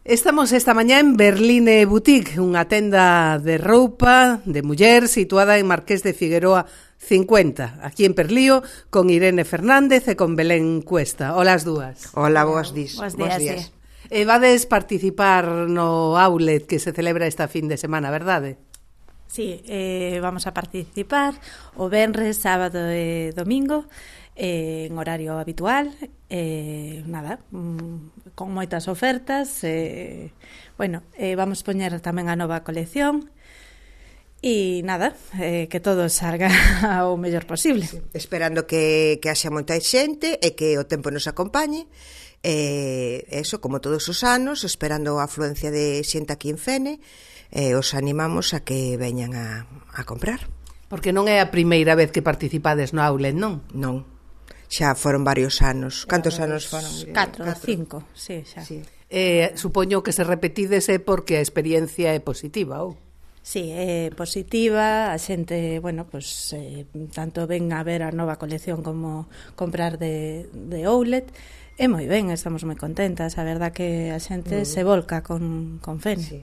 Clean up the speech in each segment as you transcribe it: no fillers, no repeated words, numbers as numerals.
Estamos esta mañá en Berline Boutique, unha tenda de roupa de muller situada en Marqués de Figueroa 50, aquí en Perlío, con Irene Fernández e con Belén Cuesta. Hola as dúas. Hola, boas días. Bos días. Vades participar no outlet que se celebra esta fin de semana, verdade? Sí, vamos a participar o venres, sábado e domingo en horario habitual, con moitas ofertas, vamos poñer tamén a nova colección e que todo salga o mellor posible. Sí, esperando que haxa moita xente e que o tempo nos acompañe, eso, como todos os anos, esperando a afluencia de xente aquí en Fene, os animamos a que veñan a comprar. Porque non é a primeira vez que participades no outlet, non? Non. Xa foron varios anos. Cantos anos foron? 4, 5, sí, xa. Sí. Supoño que se repetides porque a experiencia é positiva, ou? Sí, é positiva, a xente, tanto ven a ver a nova colección como comprar de outlet. É moi ben, estamos moi contentas, a verdad que a xente se volca con Fene. Sí.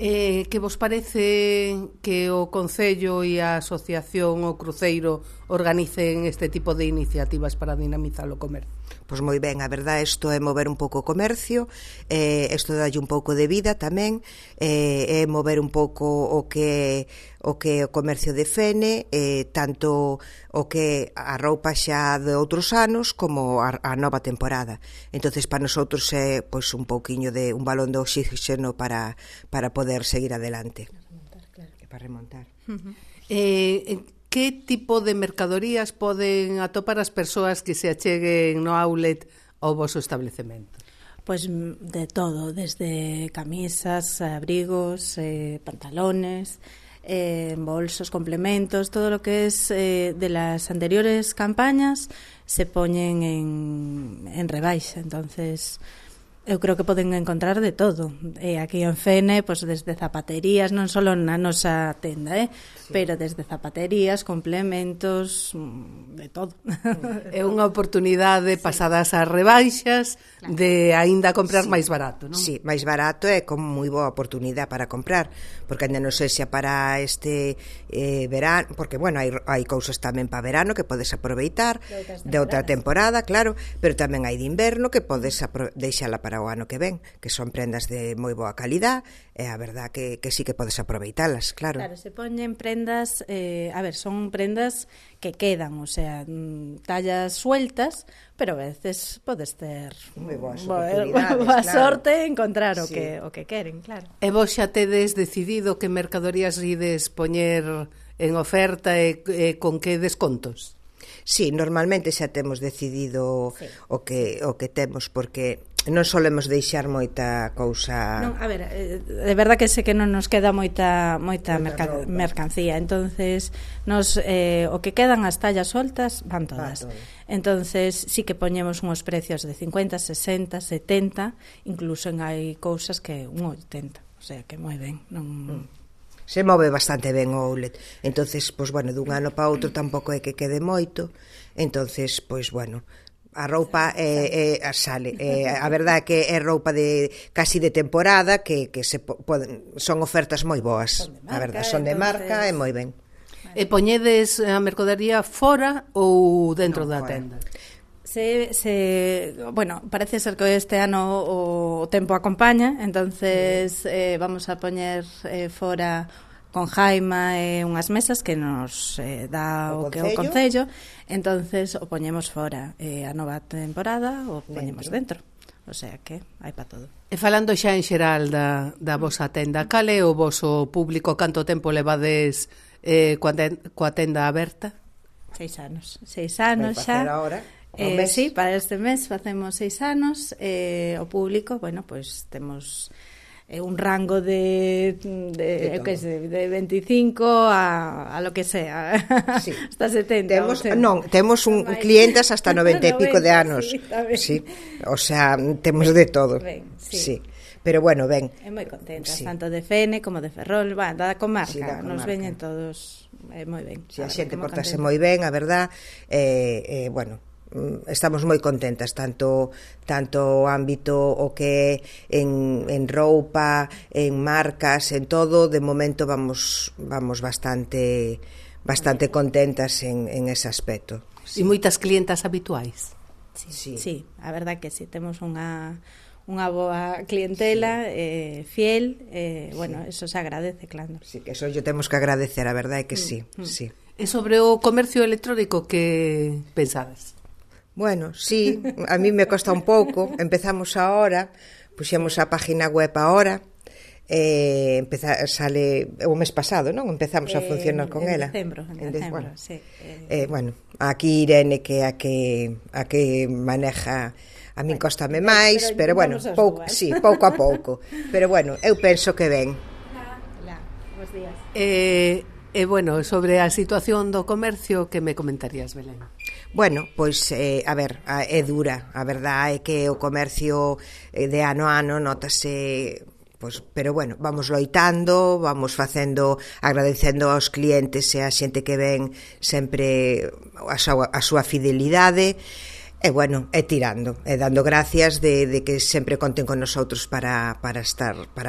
Que vos parece que o Concello e a Asociación o Cruceiro organicen este tipo de iniciativas para dinamizar o comercio? Pois moi ben, a verdade, isto é mover un pouco o comercio, isto dalle un pouco de vida tamén, é mover un pouco o que o comercio de Fene, tanto o que a roupa xa de outros anos como a nova temporada. Entonces, para nosotros é pois un pouquiño de un balón de oxígeno para poder seguir adelante. Para remontar. Que tipo de mercadorías poden atopar as persoas que se acheguen no outlet ao voso establecemento? Pois de todo, desde camisas, abrigos, pantalones, bolsos, complementos, todo lo que es de las anteriores campañas se poñen en rebaixa, entonces eu creo que poden encontrar de todo. Aquí en Fene, pois desde zapaterías, non só na nosa tenda, sí, pero desde zapaterías, complementos, de todo. É unha oportunidade pasadas as rebaixas, claro, de aínda comprar máis barato, non? Sí, máis barato é como moi boa oportunidade para comprar, porque ainda non sei se para este verano, porque, hai cousas tamén para verano que podes aproveitar de outra temporada, claro, pero tamén hai de inverno que podes deixala para o ano que ven, que son prendas de moi boa calidad, e a verdad que sí que podes aproveitalas, claro. Claro, se poñen prendas, son prendas que quedan, o sea, tallas sueltas, pero a veces podes ter moi boas oportunidades, boa claro, sorte encontrar sí, o que queren, claro. E vos xa tedes decidido que mercadorías ides poñer en oferta e con que descontos? Sí, normalmente xa temos decidido, sí, o que temos, porque non solemos deixar moita cousa. Non, a ver, de verdad que sé que non nos queda moita mercancía, entonces nos o que quedan as tallas soltas van todas. Entonces sí que poñemos uns precios de 50, 60, 70, incluso hai cousas que un 80, o sea que moi ben, non se move bastante ben o outlet. Entonces, dun ano para outro tampouco é que quede moito. Entonces, a roupa sale. A verdade é que é roupa de casi de temporada que son ofertas moi boas. A verdade, son de marca e moi ben. E poñedes a mercadería fora ou dentro da fora. tenda? Parece ser que este ano o tempo acompaña, entonces vamos a poñer fora con jaima e unhas mesas que nos dá o Concello, entonces o poñemos fora, a nova temporada o poñemos dentro, o sea que hai para todo. E falando xa en xeral da vosa tenda, cal é o voso público, canto tempo levades coa tenda aberta? 6 anos xa. Sí, para este mes facemos 6 anos, o público, temos un rango de 25 a lo que sea, sí, hasta 70. Temos clientes hasta 90 e pico de anos. Sí, o sea, temos de todo. Ben, sí. Pero ben. É moi contenta, sí, tanto de Fene como de Ferrol, da comarca, sí, nos veñen todos moi ben. Si, a xente portase moi ben, a verdad, estamos moi contentas, tanto o ámbito o que en roupa, en marcas, en todo, de momento vamos bastante contentas en ese aspecto. E moitas clientas habituais? Sí, a verdad que sí, temos unha boa clientela, fiel, bueno, eso se agradece, claro. Sí, que eso yo temos que agradecer, a verdade é que sí, sí. E sobre o comercio electrónico, que pensades? Bueno, sí, a mí me costa un pouco, empezamos ahora, puxemos a página web ahora, sale o mes pasado, non? Empezamos a funcionar con ela. En decembro, sí. Bueno, aquí Irene, que a que maneja, a min cóstame máis, pero bueno, pouco a pouco. Pero bueno, eu penso que ben. Bos días. E bueno, sobre a situación do comercio, que me comentarías, Belén? Bueno, pois, a ver, é dura. A verdade é que o comercio de ano a ano notase, pois, pero bueno, vamos loitando, vamos facendo, agradecendo aos clientes e a xente que ven sempre a súa fidelidade. E bueno, é tirando, e dando gracias de que sempre conten con nosotros para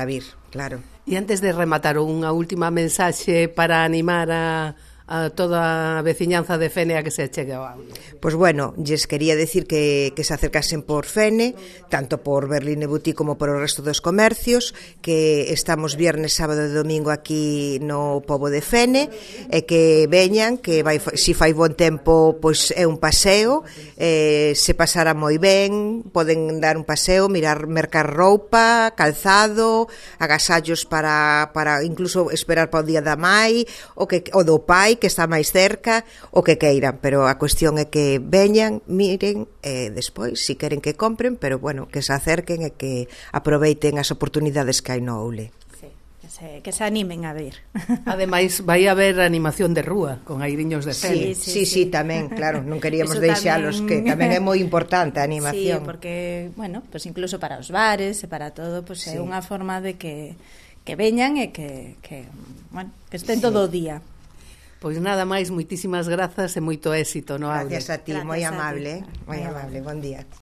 vir, claro. E antes de rematar, unha última mensaxe para animar a toda a veciñanza de Fene a que se achegue ao audio. Pois bueno, lles quería decir que se acercasen por Fene, tanto por Berline Boutique como por o resto dos comercios, que estamos viernes, sábado e domingo aquí no pobo de Fene, e que veñan, que si fai bon tempo, pois é un paseo, se pasará moi ben, poden dar un paseo, mercar roupa, calzado, agasallos para incluso esperar para o día da mai, o do pai, que está máis cerca, o que queiran, pero a cuestión é que veñan, miren, e despois, si queren que compren, pero bueno, que se acerquen e que aproveiten as oportunidades que hai no Oule. Que se animen a ver. Ademais, vai haber animación de rúa, con airiños de Fene. Sí, tamén, claro, non queríamos deixalos, que tamén é moi importante a animación. Sí, porque, bueno, pues incluso para os bares e para todo, pues é unha forma de que veñan e que estén todo o día. Pois nada máis, moitísimas grazas e moito éxito no audio. Gracias a ti, moi amable, bon día.